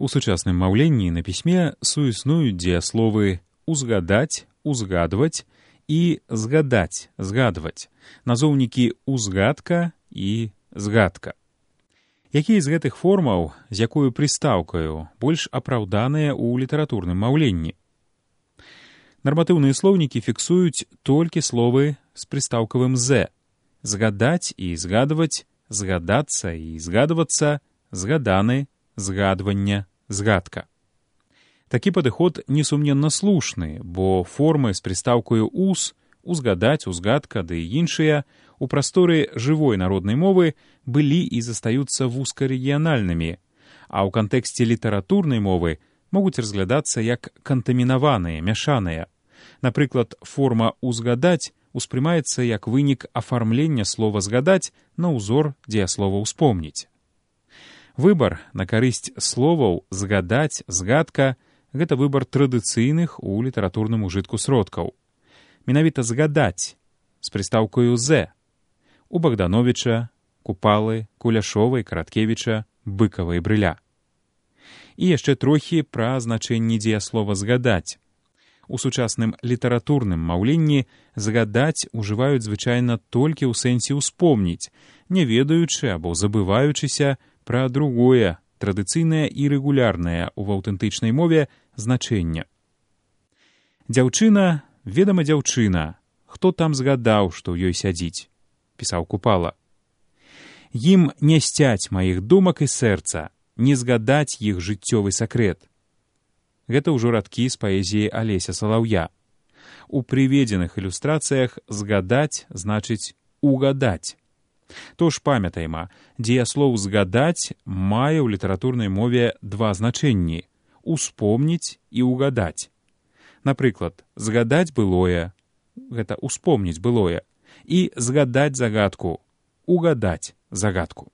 У сучасным маўленні на пісьме суіснуюць дзеясловы «узгадаць», «узгадваць» і «згадаць», «згадваць», назоўнікі «узгадка» і «згадка». Якія з гэтых формаў, з якою прыстаўкаю, больш апраўданыя ў літаратурным маўленні? Нарматыўныя слоўнікі фіксуюць толькі словы з прыстаўкавым «з». Згадаць і згадваць, згадацца і згадвацца, згаданы, згадвання, згадка. Такі падыход несумненна слушны, бо формы з прыстаўкаю «ус», «узгадаць», «узгадка» ды іншыя у прасторы жывой народнай мовы былі і застаюцца вузкарэгіянальнымі, а ў кантэксце літаратурнай мовы могуць разглядацца як кантамінаваныя, мяшаныя. Напрыклад, форма «узгадаць» успрымаецца як вынік афармлення слова «згадаць» на ўзор дзеяслова «успомніць». Выбар на карысць словаў «згадаць», «згадка» — гэта выбар традыцыйных у літаратурным ужытку сродкаў. Менавіта «згадаць» з прыстаўкаю «з» у Богдановича, Купалы, Куляшовай, Караткевіча, Быкава і Брыля. І яшчэ трохі пра значэнне дзеяслова «згадаць». У сучасным літаратурным маўленні «згадаць» ужываюць звычайна толькі ў сэнсе «успомніць», не ведаючы або забываючыся пра другое, традыцыйнае і рэгулярнае ў аўтэнтычнай мове значэнне. «Дзяўчына, ведама дзяўчына, хто там згадаў, што ў ёй сядзіць», пісаў Купала. «Ім не сцяць маіх думак і сэрца, не згадаць іх жыццёвы сакрэт». Гэта ўжо радкі з паэзіі Алеся Салаўя. У прыведзеных ілюстрацыях «згадаць» значыць «угадаць». Тож памятайма, дзеяслоў «згадаць» мае ў літаратурнай мове два значэнні — «успомніць» і «угадаць». Напрыклад, «згадаць былое» — гэта «успомніць былое» і «згадаць загадку» — «угадаць загадку».